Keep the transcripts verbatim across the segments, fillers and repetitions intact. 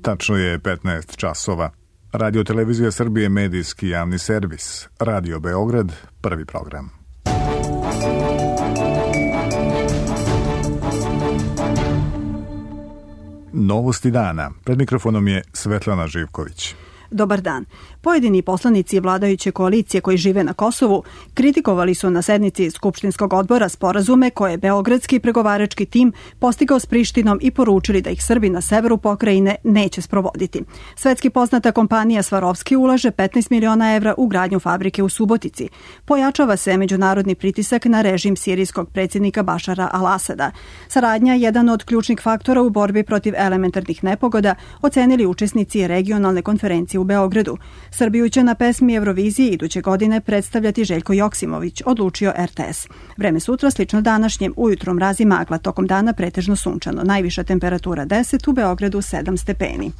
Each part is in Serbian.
Tačno je petnaest časova. Radio Televizija Srbije, medijski javni servis. Radio Beograd, prvi program. Novosti dana. Pred mikrofonom je Svetlana Živković. Dobar dan. Pojedini poslanici vladajuće koalicije koji žive na Kosovu kritikovali su na sednici Skupštinskog odbora sporazume koje je beogradski pregovarački tim postigao s Prištinom i poručili da ih Srbi na severu pokrajine neće sprovoditi. Svetski poznata kompanija Svarovski ulaže petnaest miliona evra u gradnju fabrike u Subotici. Pojačava se međunarodni pritisak na režim sirijskog predsjednika Bašara al-Asada. Saradnja je jedan od ključnih faktora u borbi protiv elementarnih nepogoda, ocenili učesnici regionalne konferencije u Beogradu. Srbiju će na pesmi Eurovizije iduće godine predstavljati Željko Joksimović, odlučio er te es. Vreme sutra slično današnjem, ujutro mrazi magla, tokom dana pretežno sunčano. Najviša temperatura deset, u Beogradu sedam stepeni.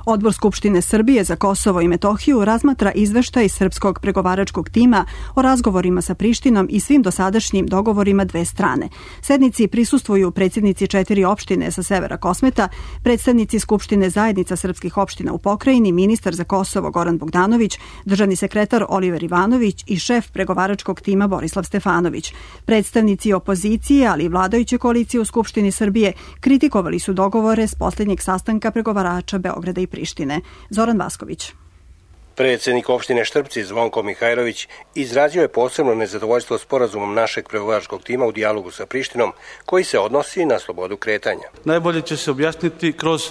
Odbor Skupštine Srbije za Kosovo i Metohiju razmatra izveštaj srpskog pregovaračkog tima o razgovorima sa Prištinom i svim dosadašnjim dogovorima dve strane. Sednici prisustvuju predsjednici četiri opštine sa severa Kosmeta, predstavnici Skupštine zajednica srpskih opština u pokrajini, ministar za Kosovo Goran Bogdanović, državni sekretar Oliver Ivanović i šef pregovaračkog tima Borislav Stefanović. Predstavnici opozicije, ali i vladajuće koalicije u Skupštini Srbije kritikovali su dogovore s posljednjeg sastanka pregovarača Beograda i Prištine. Zoran Vasković. Predsjednik opštine Štrpci Zvonko Mihajlović izrazio je posebno nezadovoljstvo sporazumom našeg pregovaračkog tima u dijalogu sa Prištinom, koji se odnosi na slobodu kretanja. Najbolje će se objasniti kroz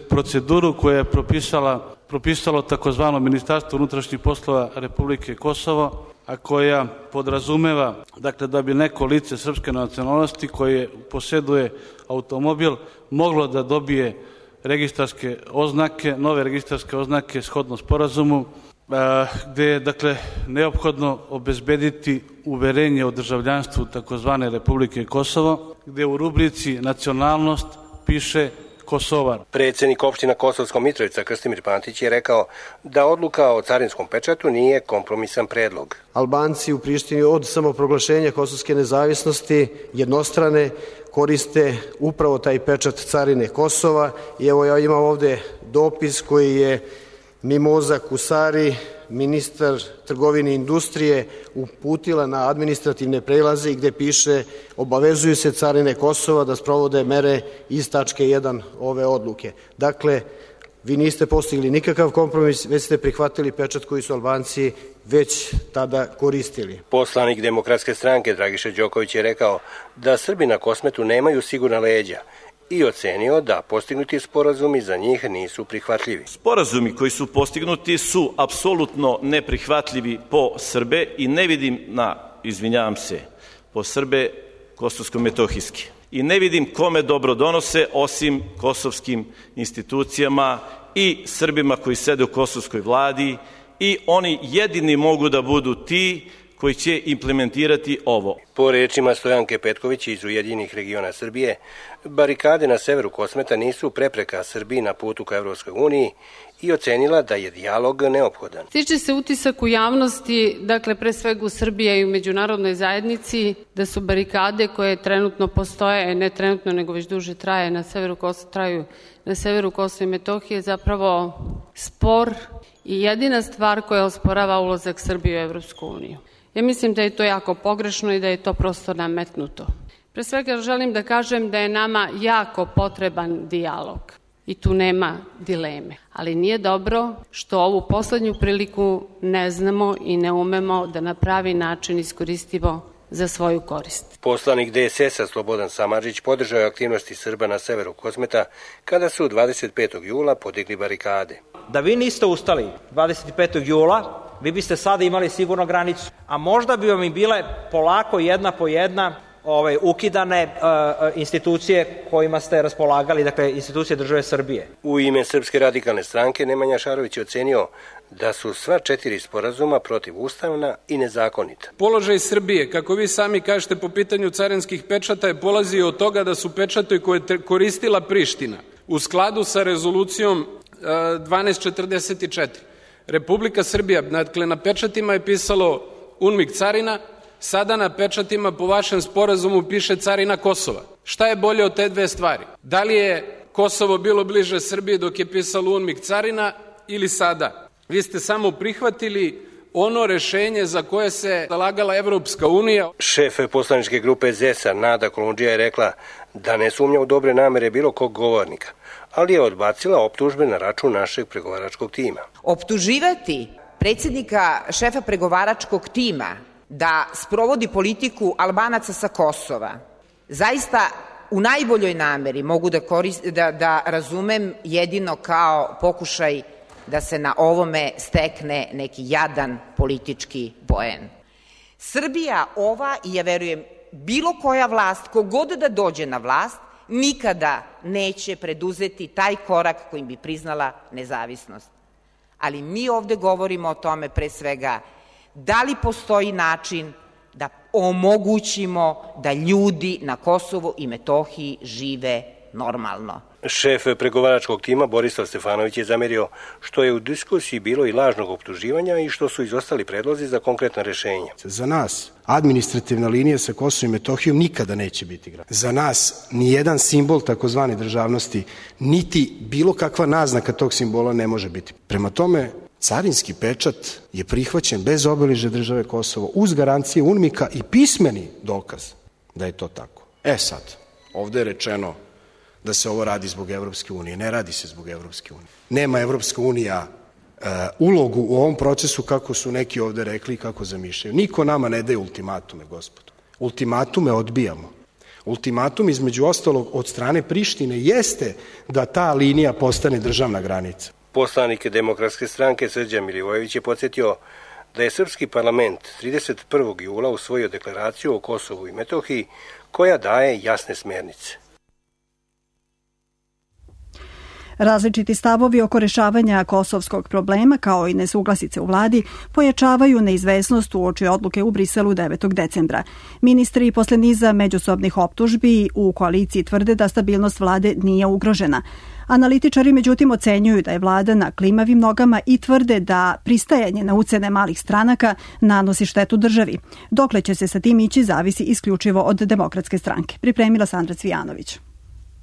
proceduru koja je propisala, propisalo takozvano Ministarstvo unutrašnjih poslova Republike Kosovo, a koja podrazumeva dakle, da bi neko lice srpske nacionalnosti koje posjeduje automobil moglo da dobije registarske oznake, nove registarske oznake shodno sporazumu, gde je dakle neophodno obezbediti uverenje o državljanstvu takozvane Republike Kosovo, gde u rubrici nacionalnost piše Kosovar. Predsjednik opština Kosovska Mitrovica Krstimir Pantić je rekao da odluka o carinskom pečatu nije kompromisan predlog. Albanci u Prištini od samoproglašenja kosovske nezavisnosti jednostrane koriste upravo taj pečat carine Kosova i evo ja imam ovde dopis koji je Mimoza Kusari, ministar trgovine i industrije, uputila na administrativne prelaze i gde piše obavezuju se carine Kosova da sprovode mere iz tačke jedan ove odluke. Dakle, vi niste postigli nikakav kompromis, već ste prihvatili pečat koji su Albanci već tada koristili. Poslanik Demokratske stranke Dragiša Đoković je rekao da Srbi na Kosmetu nemaju sigurna leđa i ocenio da postignuti sporazumi za njih nisu prihvatljivi. Sporazumi koji su postignuti su apsolutno neprihvatljivi po Srbe i ne vidim na, izvinjavam se, po Srbe kosovsko-metohijski. I ne vidim kome dobro donose osim kosovskim institucijama i Srbima koji sede u kosovskoj vladi i oni jedini mogu da budu ti koji će implementirati ovo. Po rečima Stojanke Petković iz Ujedinjenih regiona Srbije, barikade na severu Kosmeta nisu prepreka Srbiji na putu ka Evropskoj uniji i ocenila da je dijalog neophodan. Stiče se utisak u javnosti, dakle pre svega u Srbiji i u međunarodnoj zajednici, da su barikade koje trenutno postoje, ne trenutno nego već duže traje na severu Kosova, traju na severu Kosova i Metohije, zapravo spor i jedina stvar koja osporava ulazak Srbije u Evropsku uniju. Ja mislim da je to jako pogrešno i da je to prosto nametnuto. Pre svega želim da kažem da je nama jako potreban dijalog i tu nema dileme. Ali nije dobro što ovu poslednju priliku ne znamo i ne umemo da na pravi način iskoristimo za svoju korist. Poslanik de es es a Slobodan Samardžić podržao je aktivnosti Srba na severu Kosmeta kada su dvadeset petog jula podigli barikade. Da vi niste ustali dvadeset petog jula, vi biste sada imali sigurno granicu, a možda bi vam i bile polako jedna po jedna ove, ukidane uh, institucije kojima ste raspolagali, dakle institucije države Srbije. U ime Srpske radikalne stranke Nemanja Šarović je ocenio da su sva četiri sporazuma protivustavna i nezakonita. Položaj Srbije, kako vi sami kažete po pitanju carinskih pečata, je polazio od toga da su pečatovi koje je koristila Priština u skladu sa rezolucijom uh, dvanaest četrdeset četiri. Republika Srbija, dakle na pečatima je pisalo UNMIK carina, sada na pečatima po vašem sporazumu piše carina Kosova. Šta je bolje od te dve stvari? Da li je Kosovo bilo bliže Srbiji dok je pisalo UNMIK carina ili sada? Vi ste samo prihvatili ono rešenje za koje se zalagala Evropska unija. Šef poslaničke grupe Zesa, Nada Kolundžija, je rekla da ne sumnja u dobre namere bilo kog govornika, ali je odbacila optužbe na račun našeg pregovaračkog tima. Optuživati predsjednika šefa pregovaračkog tima da sprovodi politiku Albanaca sa Kosova, zaista u najboljoj nameri mogu da, korist, da, da razumem jedino kao pokušaj da se na ovome stekne neki jadan politički poen. Srbija ova, i ja verujem bilo koja vlast, kogod da dođe na vlast, nikada neće preduzeti taj korak kojim bi priznala nezavisnost. Ali mi ovde govorimo o tome pre svega da li postoji način da omogućimo da ljudi na Kosovu i Metohiji žive normalno. Šef pregovaračkog tima Borislav Stefanović je zamerio što je u diskusiji bilo i lažnog optuživanja i što su izostali predlozi za konkretna rešenja. Za nas administrativna linija sa Kosovom i Metohijom nikada neće biti grad. Za nas nijedan simbol takozvane državnosti, niti bilo kakva naznaka tog simbola ne može biti. Prema tome, carinski pečat je prihvaćen bez obeležja države Kosovo uz garancije UNMIK-a i pismeni dokaz da je to tako. E sad, ovde je rečeno da se ovo radi zbog Evropske unije. Ne radi se zbog Evropske unije. Nema Evropska unija e, ulogu u ovom procesu kako su neki ovde rekli i kako zamišljaju. Niko nama ne daje ultimatume, gospodo. Ultimatume odbijamo. Ultimatum između ostalog od strane Prištine jeste da ta linija postane državna granica. Poslanik Demokratske stranke Srđan Milivojević je podsjetio da je srpski parlament trideset prvog jula usvojio deklaraciju o Kosovu i Metohiji koja daje jasne smernice. Različiti stavovi oko rešavanja kosovskog problema, kao i nesuglasice u vladi, pojačavaju neizvesnost uoči odluke u Briselu devetog decembra. Ministri posle niza međusobnih optužbi u koaliciji tvrde da stabilnost vlade nije ugrožena. Analitičari međutim ocenjuju da je vlada na klimavim nogama i tvrde da pristajanje na ucene malih stranaka nanosi štetu državi. Dokle će se sa tim ići zavisi isključivo od Demokratske stranke. Pripremila Sandra Cvijanović.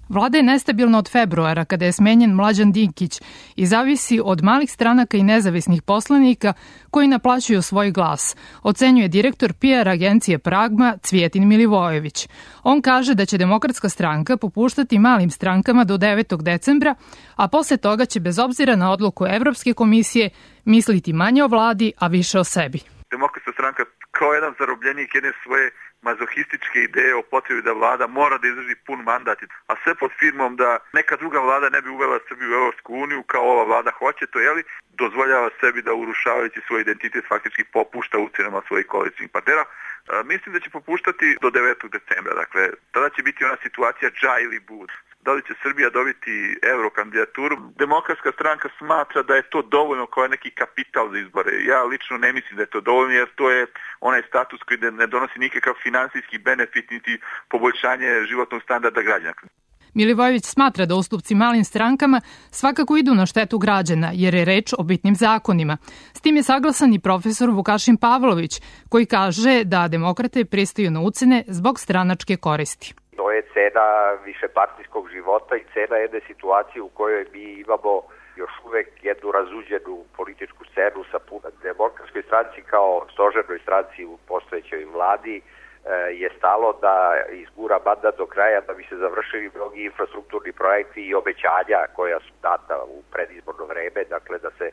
Vlada je nestabilna od februara kada je smenjen Mlađan Dinkić i zavisi od malih stranaka i nezavisnih poslanika koji naplaćuju svoj glas, ocenjuje direktor P R agencije Pragma Cvijetin Milivojević. On kaže da će Demokratska stranka popuštati malim strankama do devetog decembra, a posle toga će bez obzira na odluku Evropske komisije misliti manje o vladi, a više o sebi. Demokratska stranka kao jedan zarobljenik jedne svoje mazohističke ideje o potrebi da vlada mora da izdrži pun mandat, a sve pod firmom da neka druga vlada ne bi uvela Srbiju u Evropsku uniju kao ova vlada hoće, to je li dozvoljava sebi da urušavajući svoj identitet faktički popušta ucenama svojih koalicijnih partnera. Mislim da će popuštati do devetog decembra, dakle tada će biti ona situacija dža ili bud. Da li će Srbija dobiti eurokandidaturu? Demokratska stranka smatra da je to dovoljno kao neki kapital za izbore. Ja lično ne mislim da je to dovoljno jer to je onaj status koji ne donosi nikakav finansijski benefit niti poboljšanje životnog standarda građana. Milivojević smatra da ustupci malim strankama svakako idu na štetu građana, jer je reč o bitnim zakonima. S tim je saglasan i profesor Vukašin Pavlović, koji kaže da demokrate pristaju na ucene zbog stranačke koristi. To je cena višepartijskog života i cena jedne situacije u kojoj mi imamo još uvek jednu razuđenu političku scenu sa puno. Demokratskoj stranci kao stožernoj stranci u postojećoj vladi je stalo da izgura mandat do kraja da bi se završili mnogi infrastrukturni projekti i obećanja koja su data u predizborno vreme, dakle da se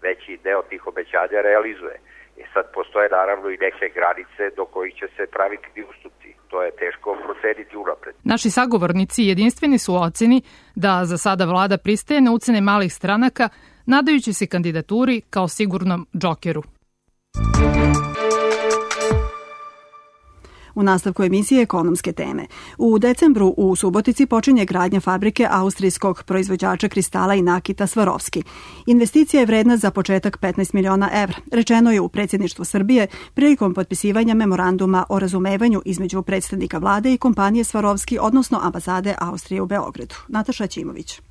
veći deo tih obećanja realizuje. E sad postoje naravno i neke granice do kojih će se praviti ustupci. To je teško proceniti unapred. Naši sagovornici jedinstveni su u oceni da za sada vlada pristaje na ucene malih stranaka, nadajući se kandidaturi kao sigurnom džokeru. U nastavku emisije ekonomske teme. U decembru u Subotici počinje gradnja fabrike austrijskog proizvođača kristala i nakita Swarovski. Investicija je vredna za početak petnaest miliona evra. Rečeno je u predsjedništvu Srbije prilikom potpisivanja memoranduma o razumevanju između predstavnika vlade i kompanije Swarovski, odnosno ambasade Austrije u Beogradu. Nataša Ćimović.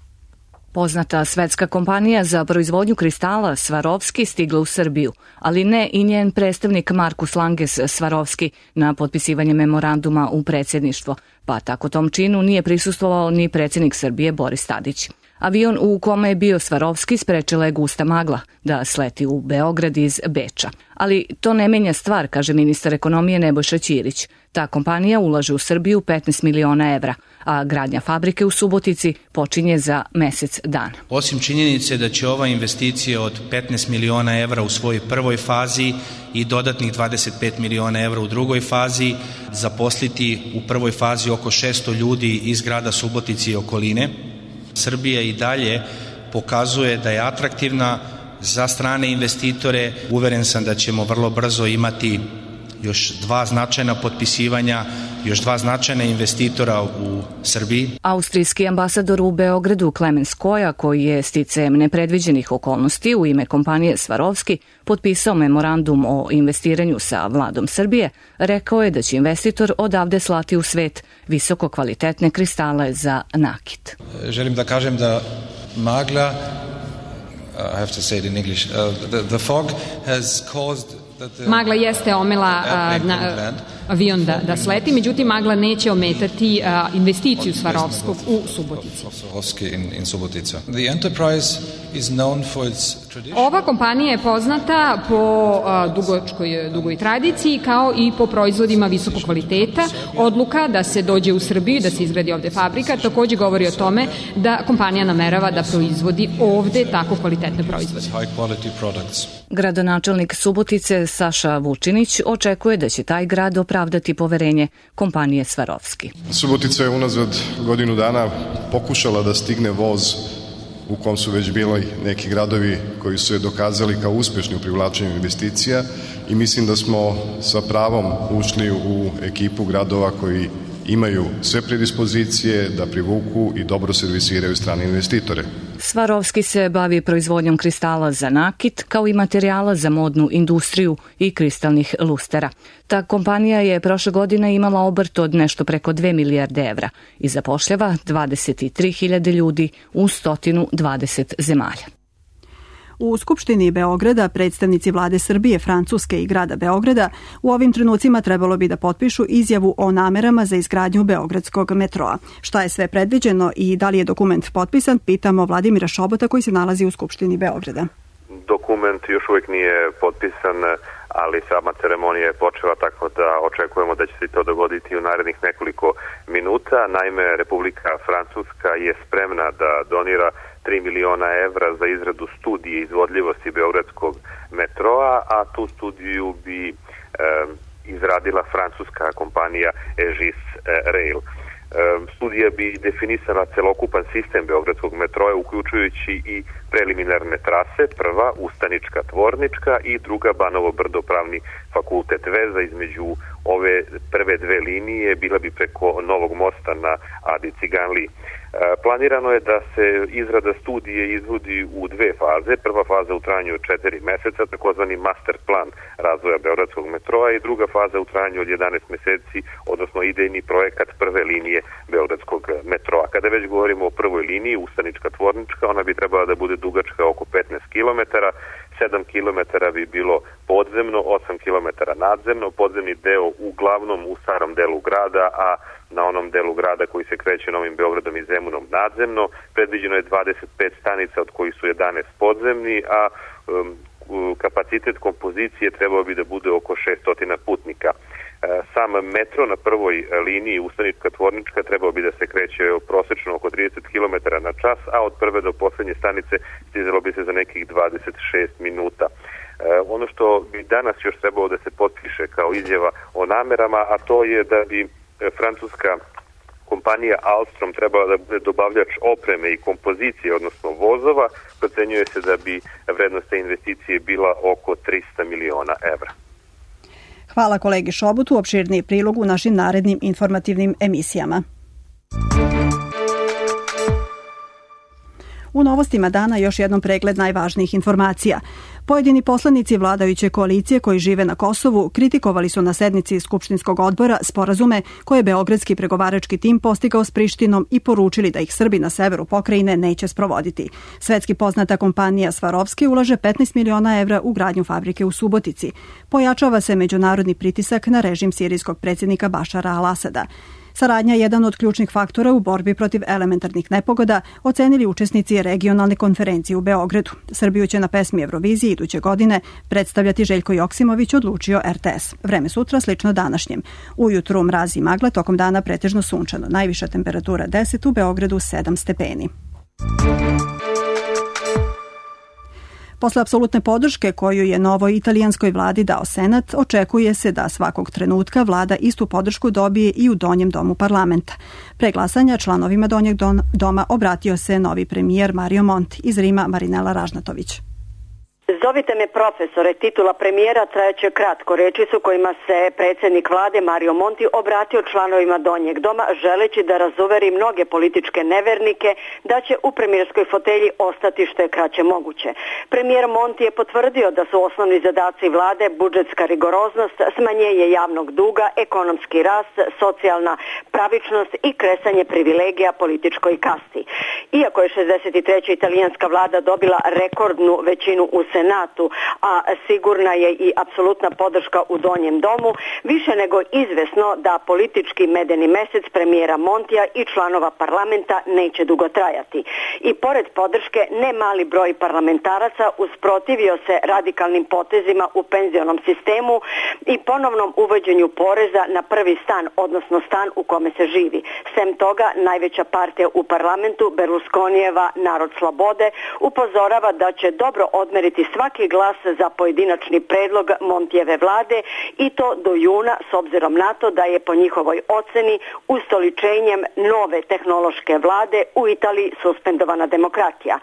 Poznata svetska kompanija za proizvodnju kristala Swarovski stigla u Srbiju, ali ne i njen predstavnik Markus Langes Swarovski na potpisivanje memoranduma u predsjedništvo, pa tako tom činu nije prisustvovao ni predsjednik Srbije Boris Tadić. Avion u kome je bio Swarovski sprečila je gusta magla da sleti u Beograd iz Beča. Ali to ne menja stvar, kaže ministar ekonomije Nebojša Ćirić. Ta kompanija ulaže u Srbiju petnaest miliona evra, a gradnja fabrike u Subotici počinje za mesec dana. Osim činjenice da će ova investicija od petnaest miliona evra u svojoj prvoj fazi i dodatnih dvadeset pet miliona evra u drugoj fazi zaposliti u prvoj fazi oko šesto ljudi iz grada Subotice i okoline, Srbija i dalje pokazuje da je atraktivna za strane investitore. Uveren sam da ćemo vrlo brzo imati još dva značajna potpisivanja, još dva značajna investitora u Srbiji. Austrijski ambasador u Beogradu Klemens Koja, koji je sticajem nepredviđenih okolnosti u ime kompanije Swarovski potpisao memorandum o investiranju sa vladom Srbije, rekao je da će investitor odavde slati u svet visoko kvalitetne kristale za nakit. Želim da kažem da magla, I have to say it in English, uh, the, the fog has caused Magla jeste omela uh, na, avion da, da sleti, međutim magla neće ometati uh, investiciju Swarovskog u Subotici. Ova kompanija je poznata po uh, dugočkoj, dugoj tradiciji kao i po proizvodima visokog kvaliteta. Odluka da se dođe u Srbiju i da se izgradi ovde fabrika takođe govori o tome da kompanija namerava da proizvodi ovde tako kvalitetne proizvode. Gradonačelnik Subotice Saša Vučinić očekuje da će taj grad opravdati poverenje kompanije Swarovski. Subotica je unazad godinu dana pokušala da stigne voz u kom su već bili neki gradovi koji su je dokazali kao uspešni u privlačenju investicija i mislim da smo sa pravom ušli u ekipu gradova koji imaju sve predispozicije da privuku i dobro servisiraju strane investitore. Swarovski se bavi proizvodnjom kristala za nakit, kao i materijala za modnu industriju i kristalnih lustera. Ta kompanija je prošle godine imala obrt od nešto preko dve milijarde evra i zapošljava dvadeset tri hiljade ljudi u sto dvadeset zemalja. U Skupštini Beograda predstavnici vlade Srbije, Francuske i grada Beograda u ovim trenucima trebalo bi da potpišu izjavu o namerama za izgradnju beogradskog metroa. Šta je sve predviđeno i da li je dokument potpisan, pitamo Vladimira Šobota koji se nalazi u Skupštini Beograda. Dokument još uvijek nije potpisan, ali sama ceremonija je počela, tako da očekujemo da će se to dogoditi u narednih nekoliko minuta. Naime, Republika Francuska je spremna da donira tri miliona evra za izradu studije izvodljivosti beogradskog metroa, a tu studiju bi e, izradila francuska kompanija Egis Rail. E, studija bi definisala celokupan sistem beogradskog metroa, uključujući i preliminarne trase, prva Ustanička tvornička i druga Banovo Brdo pravni fakultet. Veza između ove prve dve linije bila bi preko Novog mosta na Adi Ciganliji. Planirano je da se izrada studije izvodi u dve faze. Prva faza u trajanju od četiri meseca, takozvani master plan razvoja beogradskog metroa, i druga faza u trajanju od jedanaest meseci, odnosno idejni projekat prve linije beogradskog metroa. Kada već govorimo o prvoj liniji, Ustanička tvornička, ona bi trebala da bude dugačka oko petnaest kilometara, sedam kilometara bi bilo podzemno, osam kilometara nadzemno, podzemni deo uglavnom u starom delu grada, a na onom delu grada koji se kreće Novim Beogradom i Zemunom nadzemno. Predviđeno je dvadeset pet stanica, od kojih su jedanaest podzemni, a um, kapacitet kompozicije trebao bi da bude oko šesto putnika. Sam metro na prvoj liniji Ustanička tvornička trebao bi da se kreće prosečno oko trideset kilometara na čas, a od prve do poslednje stanice stizalo bi se za nekih dvadeset šest minuta. Ono što bi danas još trebalo da se potpiše kao izjava o namerama, a to je da bi francuska kompanija Alstom trebala da bude dobavljač opreme i kompozicije, odnosno vozova. Procenjuje se da bi vrednost te investicije bila oko trista miliona evra. Hvala kolegi Šobotu, opširniji prilog u našim narednim informativnim emisijama. U novostima dana još jednom pregled najvažnijih informacija. Pojedini poslanici vladajuće koalicije koji žive na Kosovu kritikovali su na sednici Skupštinskog odbora sporazume koje je beogradski pregovarački tim postigao s Prištinom i poručili da ih Srbi na severu pokrajine neće sprovoditi. Svetski poznata kompanija Svarovski ulaže petnaest miliona evra u gradnju fabrike u Subotici. Pojačava se međunarodni pritisak na režim sirijskog predsjednika Bašara al-Asada. Saradnja je jedan od ključnih faktora u borbi protiv elementarnih nepogoda, ocenili učesnici regionalne konferencije u Beogradu. Srbiju će na pesmi Eurovizije iduće godine predstavljati Željko Joksimović, odlučio er te es. Vreme sutra slično današnjem. Ujutru mraz i magla, tokom dana pretežno sunčano. Najviša temperatura deset, u Beogradu sedam stepeni. Posle apsolutne podrške koju je novoj italijanskoj vladi dao Senat, očekuje se da svakog trenutka vlada istu podršku dobije i u donjem domu parlamenta. Pre glasanja članovima donjeg doma obratio se novi premijer Mario Monti. Iz Rima Marinela Ražnatović. Zovite me profesore, titula premijera trajeće kratko. Reči su kojima se predsjednik vlade Mario Monti obratio članovima donjeg doma, želeći da razuveri mnoge političke nevernike da će u premijerskoj fotelji ostati što je kraće moguće. Premijer Monti je potvrdio da su osnovni zadaci vlade budžetska rigoroznost, smanjenje javnog duga, ekonomski rast, socijalna pravičnost i kresanje privilegija političkoj kasti. Iako je šezdeset treća italijanska vlada dobila rekordnu većinu u Senatu, a sigurna je i apsolutna podrška u donjem domu, više nego izvesno da politički medeni mesec premijera Montija i članova parlamenta neće dugo trajati. I pored podrške, ne mali broj parlamentaraca usprotivio se radikalnim potezima u penzionom sistemu i ponovnom uvođenju poreza na prvi stan, odnosno stan u kome se živi. Sem toga, najveća partija u parlamentu, Berlusconijeva Narod slobode, upozorava da će dobro odmeriti svaki glas za pojedinačni predlog Montijeve vlade i to do juna, s obzirom na to da je po njihovoj oceni ustoličenjem nove tehnološke vlade u Italiji suspendovana demokratija.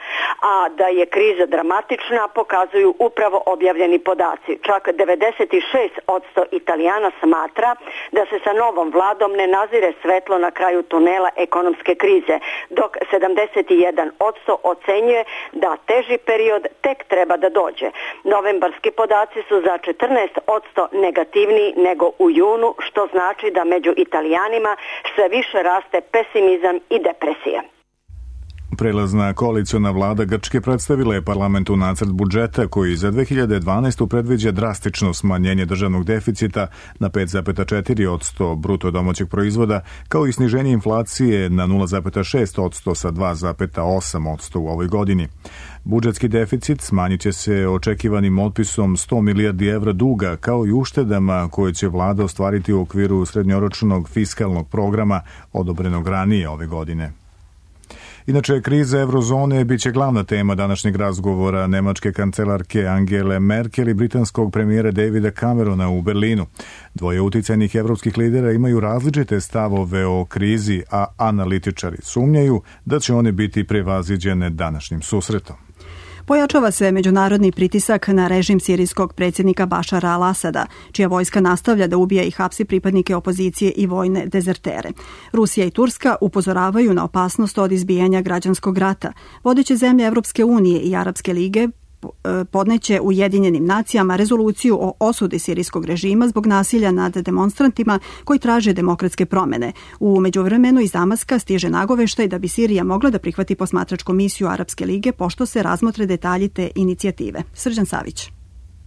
A da je kriza dramatična pokazuju upravo objavljeni podaci. Čak devedeset šest posto Italijana smatra da se sa novom vladom ne nazire svetlo na kraju tunela ekonomske krize, dok sedamdeset jedan posto ocenjuje da teži period tek treba da dođe. Novembarski podaci su za četrnaest posto negativniji nego u junu, što znači da među Italijanima sve više raste pesimizam i depresija. Prelazna koaliciona vlada Grčke predstavila je parlamentu nacrt budžeta koji za dve hiljade dvanaestu. predviđa drastično smanjenje državnog deficita na pet zarez četiri posto bruto domaćeg proizvoda, kao i sniženje inflacije na nula zarez šest posto sa dva zarez osam posto u ovoj godini. Budžetski deficit smanjit će se očekivanim otpisom sto milijardi evra duga, kao i uštedama koje će vlada ostvariti u okviru srednjoročnog fiskalnog programa odobrenog ranije ove godine. Inače, kriza eurozone biće glavna tema današnjeg razgovora nemačke kancelarke Angele Merkel i britanskog premijera Davida Camerona u Berlinu. Dvoje uticajnih evropskih lidera imaju različite stavove o krizi, a analitičari sumnjaju da će one biti prevaziđene današnjim susretom. Pojačava se međunarodni pritisak na režim sirijskog predsjednika Bašara al-Asada, čija vojska nastavlja da ubija i hapsi pripadnike opozicije i vojne dezertere. Rusija i Turska upozoravaju na opasnost od izbijanja građanskog rata. Vodeće zemlje Evropske unije i Arapske lige podneće Ujedinjenim nacijama rezoluciju o osudi sirijskog režima zbog nasilja nad demonstrantima koji traže demokratske promene. U međuvremenu iz Damaska stiže nagoveštaj da bi Sirija mogla da prihvati posmatračku misiju Arapske lige pošto se razmotre detalji te inicijative. Srđan Savić.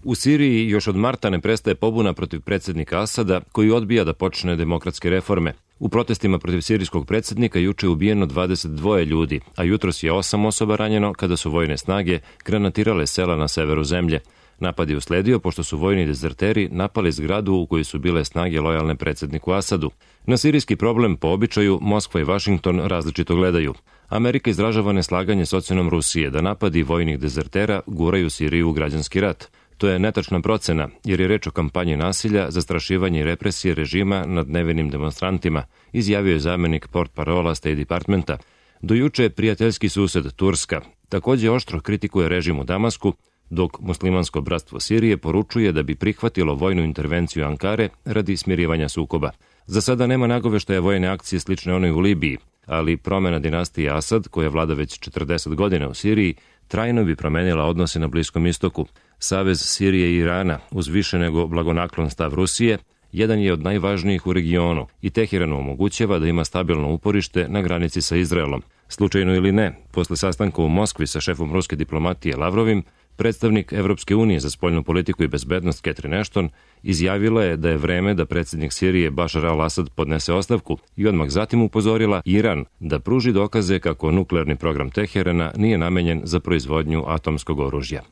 U Siriji još od marta ne prestaje pobuna protiv predsjednika Asada, koji odbija da počne demokratske reforme. U protestima protiv sirijskog predsjednika juče je ubijeno dvadeset dva ljudi, a jutros je osam osoba ranjeno kada su vojne snage granatirale sela na severu zemlje. Napad je usledio pošto su vojni dezerteri napali zgradu u kojoj su bile snage lojalne predsjedniku Asadu. Na sirijski problem po običaju Moskva i Vašington različito gledaju. Amerika izražava neslaganje s ocenom Rusije da napadi vojnih dezertera guraju Siriju u građanski rat. To je netačna procena, jer je reč o kampanji nasilja, zastrašivanje i represije režima nad nevinim demonstrantima, izjavio je zamjenik portparola State Departmenta. Do juče prijateljski sused Turska također oštro kritikuje režim u Damasku, dok muslimansko bratstvo Sirije poručuje da bi prihvatilo vojnu intervenciju Ankare radi smirivanja sukoba. Za sada nema nagoveštaja vojne akcije slične onoj u Libiji, ali promjena dinastije Asad, koja vlada već četrdeset godina u Siriji, trajno bi promenila odnose na Bliskom istoku. Savez Sirije i Irana, uz više nego blagonaklon stav Rusije, jedan je od najvažnijih u regionu i Teheranu omogućava da ima stabilno uporište na granici sa Izraelom. Slučajno ili ne, posle sastanka u Moskvi sa šefom ruske diplomatije Lavrovim, predstavnik Evropske unije za spoljnu politiku i bezbednost Catherine Ashton izjavila je da je vreme da predsjednik Sirije Bashar al-Assad podnese ostavku i odmah zatim upozorila Iran da pruži dokaze kako nuklearni program Teherana nije namenjen za proizvodnju atomskog oružja.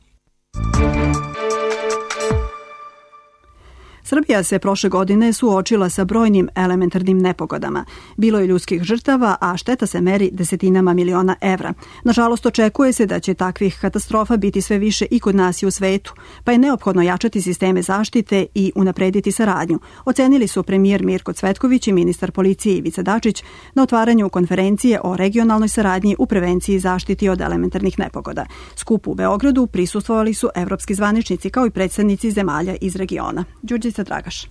Srbija se prošle godine suočila sa brojnim elementarnim nepogodama. Bilo je ljudskih žrtava, a šteta se meri desetinama miliona evra. Nažalost, očekuje se da će takvih katastrofa biti sve više i kod nas i u svetu, pa je neophodno jačati sisteme zaštite i unaprediti saradnju. Ocenili su premijer Mirko Cvetković i ministar policije Ivica Dačić na otvaranju konferencije o regionalnoj saradnji u prevenciji i zaštiti od elementarnih nepogoda. Skupu u Beogradu prisustvovali su evropski zvaničnici kao i predstavnici zemalja iz regiona. Đurđica Dragaš.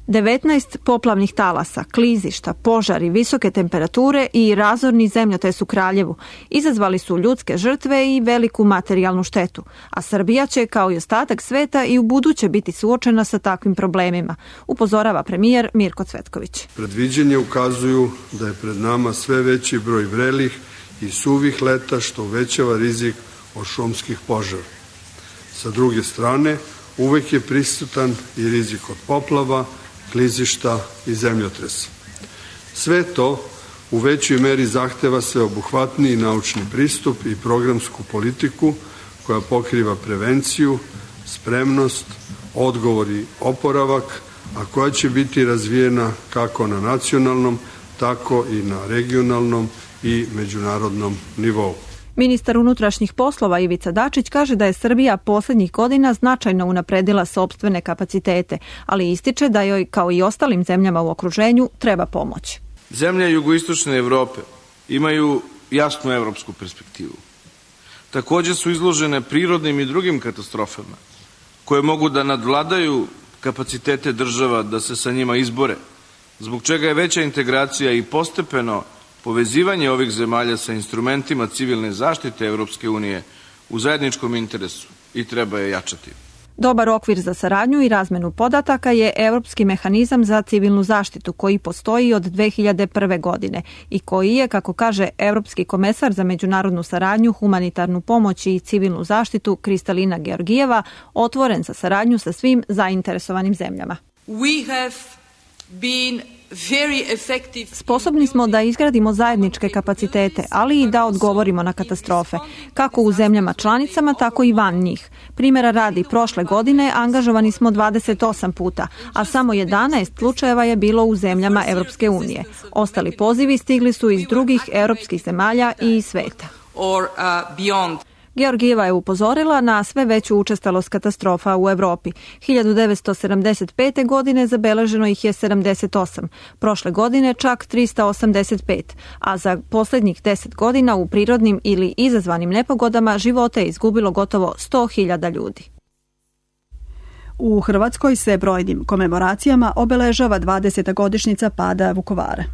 devetnaest poplavnih talasa, klizišta, požari, visoke temperature i razorni zemljotres u Kraljevu izazvali su ljudske žrtve i veliku materijalnu štetu, a Srbija će, kao i ostatak sveta, i u buduće biti suočena sa takvim problemima, upozorava premijer Mirko Cvetković. Predviđenje ukazuju da je pred nama sve veći broj vrelih i suvih leta, što uvećava rizik od šumskih požara. Sa druge strane, uvek je prisutan i rizik od poplava, klizišta i zemljotresa. Sve to u većoj meri zahteva sveobuhvatniji naučni pristup i programsku politiku koja pokriva prevenciju, spremnost, odgovor i oporavak, a koja će biti razvijena kako na nacionalnom, tako i na regionalnom i međunarodnom nivou. Ministar unutrašnjih poslova Ivica Dačić kaže da je Srbija poslednjih godina značajno unapredila sopstvene kapacitete, ali ističe da joj, kao i ostalim zemljama u okruženju, treba pomoć. Zemlje jugoistočne Evrope imaju jasnu evropsku perspektivu. Takođe su izložene prirodnim i drugim katastrofama, koje mogu da nadvladaju kapacitete država da se sa njima izbore, zbog čega je veća integracija i postepeno povezivanje ovih zemalja sa instrumentima civilne zaštite Evropske unije u zajedničkom interesu i treba je jačati. Dobar okvir za saradnju i razmenu podataka je Evropski mehanizam za civilnu zaštitu koji postoji od dve hiljade prve. godine i koji je, kako kaže Evropski komesar za međunarodnu saradnju, humanitarnu pomoć i civilnu zaštitu Kristalina Georgijeva, otvoren za saradnju sa svim zainteresovanim zemljama. We have been Sposobni smo da izgradimo zajedničke kapacitete, ali i da odgovorimo na katastrofe, kako u zemljama članicama, tako i van njih. Primjera radi, prošle godine angažovani smo dvadeset osam puta, a samo jedanaest slučajeva je bilo u zemljama Evropske unije. Ostali pozivi stigli su iz drugih evropskih zemalja i iz sveta. Georgijeva je upozorila na sve veću učestalost katastrofa u Evropi. hiljadu devetsto sedamdeset pete. godine zabeleženo ih je sedamdeset osam, prošle godine čak trista osamdeset pet, a za posljednjih deset godina u prirodnim ili izazvanim nepogodama živote je izgubilo gotovo sto hiljada ljudi. U Hrvatskoj se brojnim komemoracijama obeležava dvadeseta godišnjica pada Vukovara.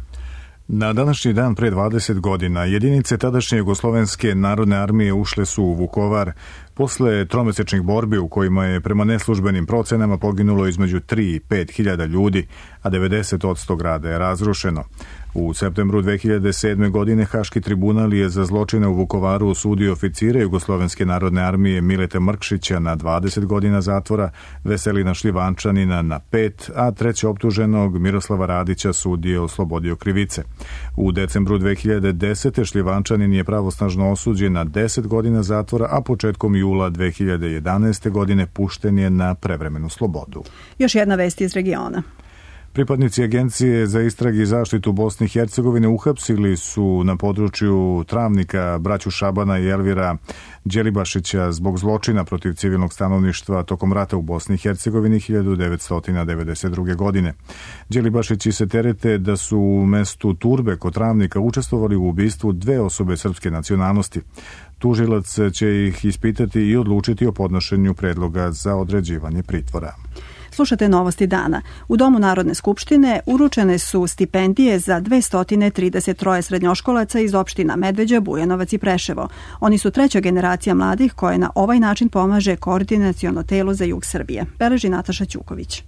Na današnji dan pre dvadeset godina jedinice tadašnje Jugoslovenske narodne armije ušle su u Vukovar posle tromesečnih borbi u kojima je prema neslužbenim procenama poginulo između tri i pet hiljada ljudi, a devedeset posto grada je razrušeno. U septembru dve hiljade sedme. godine Haški tribunal je za zločine u Vukovaru osudio oficire Jugoslovenske narodne armije Mileta Mrkšića na dvadeset godina zatvora, Veselina Šljivančanina na pet, a treće optuženog Miroslava Radića sud je oslobodio krivice. U decembru dve hiljade desete. Šljivančanin je pravosnažno osuđen na deset godina zatvora, a početkom jula dve hiljade jedanaeste. godine pušten je na prevremenu slobodu. Još jedna vest iz regiona. Pripadnici Agencije za istrage i zaštitu Bosne i Hercegovine uhapsili su na području Travnika braću Šabana i Elvira Đelibašića zbog zločina protiv civilnog stanovništva tokom rata u Bosni i Hercegovini hiljadu devetsto devedeset druge. godine. Đelibašići se terete da su u mestu Turbe kod Travnika učestvovali u ubistvu dve osobe srpske nacionalnosti. Tužilac će ih ispitati i odlučiti o podnošenju predloga za određivanje pritvora. Slušate novosti dana. U Domu Narodne skupštine uručene su stipendije za dvesta trideset tri srednjoškolaca iz opština Medveđa, Bujanovac i Preševo. Oni su treća generacija mladih koje na ovaj način pomaže Koordinaciono telo za jug Srbije. Beleži Nataša Ćuković.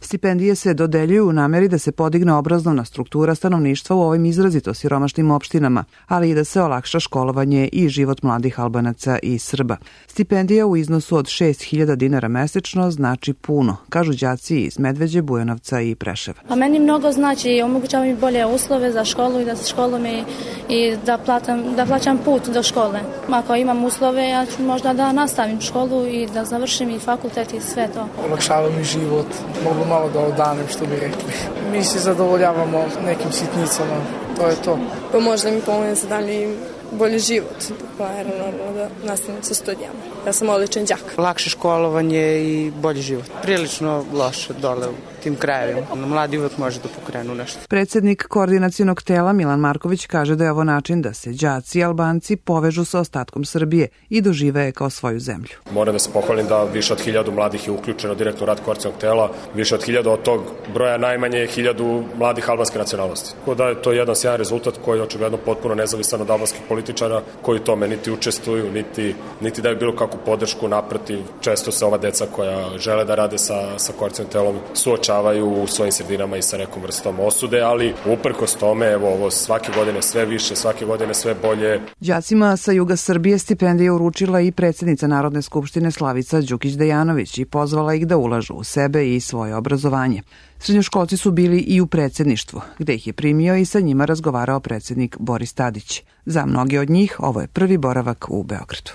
Stipendije se dodeljuju u nameri da se podigne obrazovna struktura stanovništva u ovim izrazito siromašnim opštinama, ali i da se olakša školovanje i život mladih Albanaca i Srba. Stipendija u iznosu od šest hiljada dinara mesečno znači puno, kažu đaci iz Medveđe, Bujanovca i Preševa. A meni mnogo znači, omogućava mi bolje uslove za školu i da se školujem i, i da, platam, da plaćam put do škole. Ako imam uslove, ja ću možda da nastavim školu i da završim i fakultet i sve to. Olakšava mi život, mogu malo da odanem, što bi rekli. Mi se zadovoljavamo nekim sitnicama, to je to. Pa možda mi pomogne za dalje bolji život, pa naravno da nastavim sa studijama. Ja sam odličan đak. Lakše školovanje i bolji život. Prilično loše dole u tim krajevima. Mladi uvek može da pokrenu nešto. Predsednik Koordinacionog tela Milan Marković kaže da je ovo način da se đaci i Albanci povežu sa ostatkom Srbije i dožive je kao svoju zemlju. Moram da se pohvalim da više od hiljadu mladih je uključeno direktno u rad Koordinacionog tela. Više od hiljadu od tog broja najmanje je hiljadu mladih albanske nacionalnosti. Tako da je to jedan sjajan rezultat koji je očigledno potpuno nezavisan od albanskih političara koji tome niti učestvuju, niti, niti daju bilo kakvu podršku. Naprotiv, često se ova deca koja žele da rade sa, sa Koordinacionim telom suočavaju u svojim sredinama i sa nekom vrstom osude, ali uprkos tome, evo, ovo svake godine sve više, svake godine sve bolje. Đacima sa juga Srbije stipendije uručila i predsjednica Narodne skupštine Slavica Đukić-Dejanović i pozvala ih da ulažu u sebe i svoje obrazovanje. Srednjoškolci su bili i u predsjedništvu, gde ih je primio i sa njima razgovarao predsjednik Boris Tadić. Za mnoge od njih ovo je prvi boravak u Beogradu.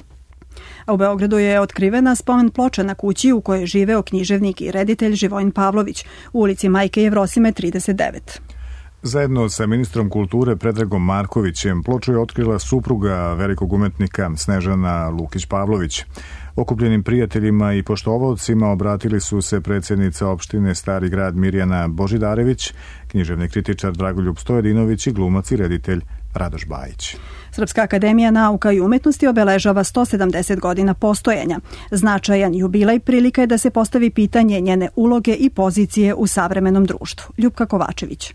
A u Beogradu je otkrivena spomen ploča na kući u kojoj je živeo književnik i reditelj Živojin Pavlović u ulici Majke Jevrosime trideset devet. Zajedno sa ministrom kulture Predragom Markovićem ploču je otkrila supruga velikog umetnika Snežana Lukić-Pavlović. Okupljenim prijateljima i poštovaocima obratili su se predsjednica opštine Stari grad Mirjana Božidarević, književni kritičar Dragoljub Stojedinović i glumac i reditelj Radoš Bajić. Srpska akademija nauka i umetnosti obeležava sto sedamdeset godina postojanja. Značajan jubilej prilika je da se postavi pitanje njene uloge i pozicije u savremenom društvu. Ljupka Kovačević.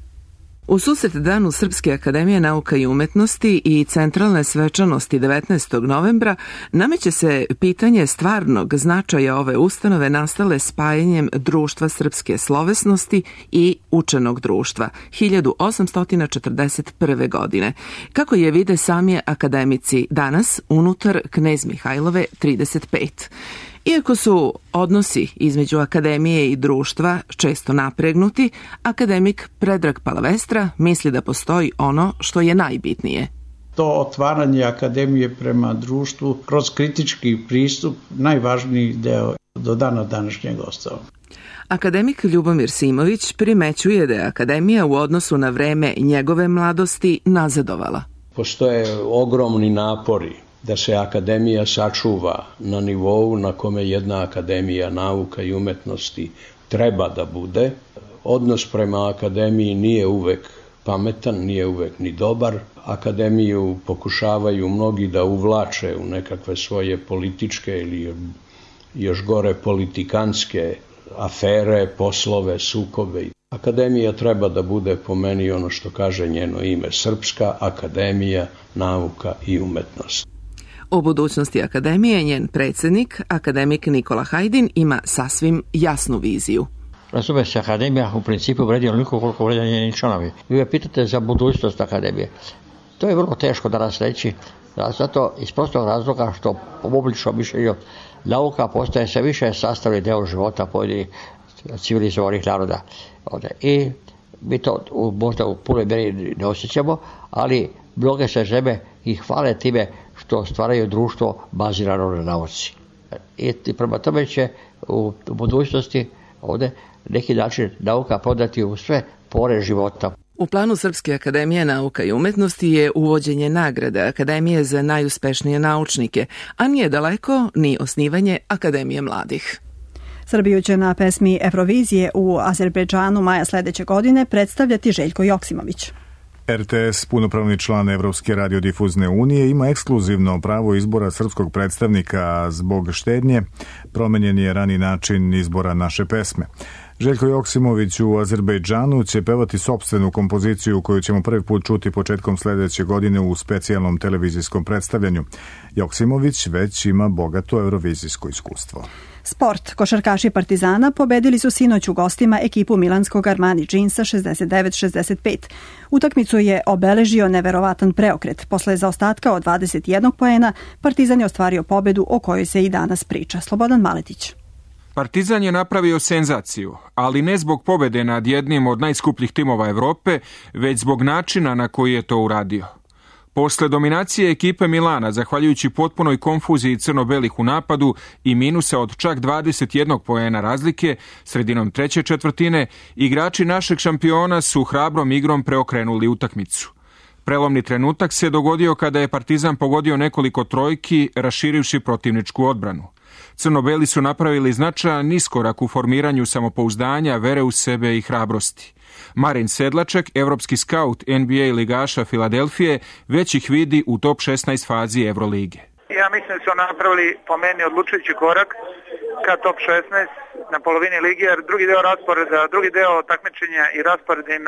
U susret danu Srpske akademije nauka i umetnosti i centralne svečanosti devetnaestog novembra nameće se pitanje stvarnog značaja ove ustanove nastale spajanjem Društva srpske slovesnosti i Učenog društva hiljadu osamsto četrdeset prve. godine. Kako je vide sami akademici danas unutar Knez Mihajlove trideset pet. Iako su odnosi između akademije i društva često napregnuti, akademik Predrag Palavestra misli da postoji ono što je najbitnije. To otvaranje akademije prema društvu kroz kritički pristup najvažniji deo do dana današnjeg ostao. Akademik Ljubomir Simović primećuje da je akademija u odnosu na vreme njegove mladosti nazadovala. Postoje ogromni napori da se akademija sačuva na nivou na kome jedna akademija nauka i umetnosti treba da bude. Odnos prema akademiji nije uvek pametan, nije uvek ni dobar. Akademiju pokušavaju mnogi da uvlače u nekakve svoje političke ili još gore politikanske afere, poslove, sukobe. Akademija treba da bude po meni ono što kaže njeno ime, Srpska akademija nauka i umetnosti. O budućnosti akademije njen predsjednik, akademik Nikola Hajdin, ima sasvim jasnu viziju. Razume se, akademija u principu vredi onoliko koliko vredi njeni članovi. Vi me pitate za budućnost akademije. To je vrlo teško danas reći, zato iz prostog razloga što po obličnom mišljenju nauka postaje sve više sastavni deo života pojedinih civilizovanih naroda. I mi to možda u punoj mjeri ne osjećamo, ali mnoge se žene i hvale time što stvaraju društvo bazirano na nauci. I prema tome će u budućnosti ovdje neki način nauka prodati u sve pore života. U planu Srpske akademije nauka i umetnosti je uvođenje nagrade Akademije za najuspešnije naučnike, a nije daleko ni osnivanje Akademije mladih. Srbiju će na pesmi Evrovizije u Azerbejdžanu maja sledeće godine predstavljati Željko Joksimović. R T S, punopravni član Evropske radiodifuzne unije, ima ekskluzivno pravo izbora srpskog predstavnika, a zbog štednje promenjen je rani način izbora naše pesme. Željko Joksimović u Azerbejdžanu će pevati sopstvenu kompoziciju koju ćemo prvi put čuti početkom sledeće godine u specijalnom televizijskom predstavljanju. Joksimović već ima bogato eurovizijsko iskustvo. Sport. Košarkaši Partizana pobedili su sinoć u gostima ekipu milanskog Armani Džinsa šezdeset devet šezdeset pet. Utakmicu je obeležio neverovatan preokret. Posle zaostatka od dvadeset jedan poena, Partizan je ostvario pobedu o kojoj se i danas priča. Slobodan Maletić. Partizan je napravio senzaciju, ali ne zbog pobede nad jednim od najskupljih timova Evrope, već zbog načina na koji je to uradio. Posle dominacije ekipe Milana, zahvaljujući potpunoj konfuziji crno-belih u napadu i minusa od čak dvadeset jedan poena razlike, sredinom treće četvrtine, igrači našeg šampiona su hrabrom igrom preokrenuli utakmicu. Prelomni trenutak se dogodio kada je Partizan pogodio nekoliko trojki, raširivši protivničku odbranu. Crno-beli su napravili značajan iskorak u formiranju samopouzdanja, vere u sebe i hrabrosti. Marin Sedlaček, evropski skaut N B A ligaša Filadelfije, već ih vidi u top šesnaest fazi Evrolige. Ja mislim da su napravili po meni odlučujući korak ka top šesnaest na polovini lige, jer drugi deo rasporeda, drugi deo takmičenja i raspored im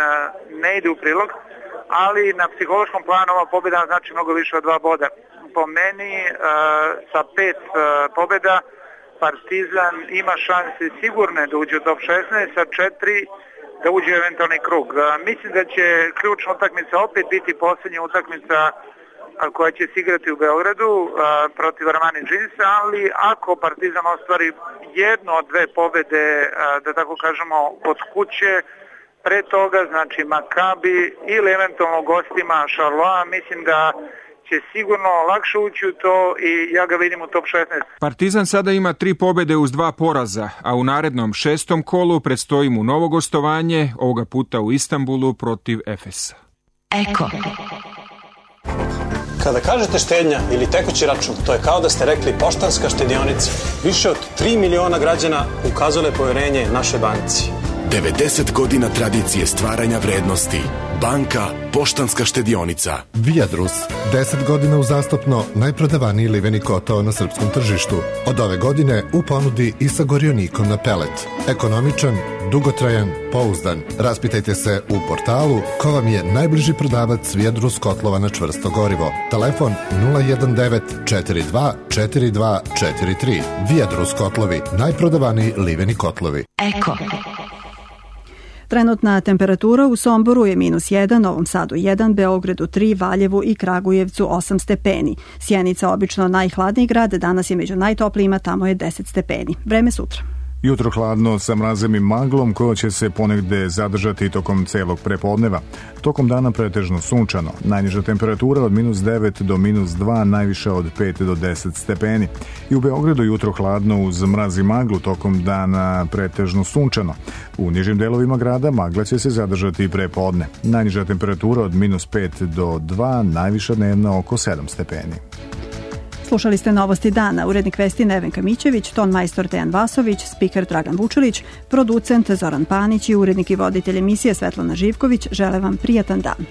ne ide u prilog, ali na psihološkom planu ova pobjeda znači mnogo više od dva boda. Po meni sa pet pobjeda Partizan ima šanse sigurne da uđe u top šesnaest, sa četiri da uđe u eventualni krug. Mislim da će ključna utakmica opet biti posljednja utakmica koja će se igrati u Beogradu protiv Armani Džinsa, ali ako Partizan ostvari jednu od dve pobjede, da tako kažemo, kod kuće, pre toga, znači Makabi ili eventualno gostima Charloa, mislim da će sigurno lakše ući u to i ja ga vidim u top šesnaest. Partizan sada ima tri pobjede uz dva poraza, a u narednom šestom kolu predstoji mu novo gostovanje, ovoga puta u Istanbulu protiv Efesa. Eko. Kada kažete štednja ili tekući račun, to je kao da ste rekli Poštanska štedionica. Više od tri miliona građana ukazale poverenje našoj banci. devedeset godina tradicije stvaranja vrednosti. Banka Poštanska štedionica. Viadrus. deset godina uzastopno najprodavaniji liveni kotao na srpskom tržištu. Od ove godine u ponudi i sa gorionikom na pelet. Ekonomičan, dugotrajan, pouzdan. Raspitajte se u portalu ko vam je najbliži prodavac Viadrus kotlova na čvrsto gorivo. Telefon nula jedan devet četiri dva četiri dva četiri tri. Viadrus kotlovi. Najprodavaniji liveni kotlovi. Eko. Trenutna temperatura u Somboru je minus jedan, Novom Sadu jedan, Beogradu tri, Valjevu i Kragujevcu osam stepeni. Sjenica, obično najhladniji grad, danas je među najtoplijima, tamo je deset stepeni. Vreme sutra. Jutro hladno sa mrazem i maglom koja će se ponegde zadržati tokom celog prepodneva. Tokom dana pretežno sunčano. Najniža temperatura od minus devet do minus dva, najviše od pet do deset stepeni. I u Beogradu jutro hladno uz mraz i maglu, tokom dana pretežno sunčano. U nižim delovima grada magla će se zadržati i prepodne. Najniža temperatura od minus pet do dva, najviša dnevna oko sedam stepeni. Slušali ste Novosti dana, urednik vesti Nevenka Mićević, ton majstor Dejan Vasović, spiker Dragan Vučilić, producent Zoran Panić i urednik i voditelj emisije Svetlana Živković žele vam prijatan dan.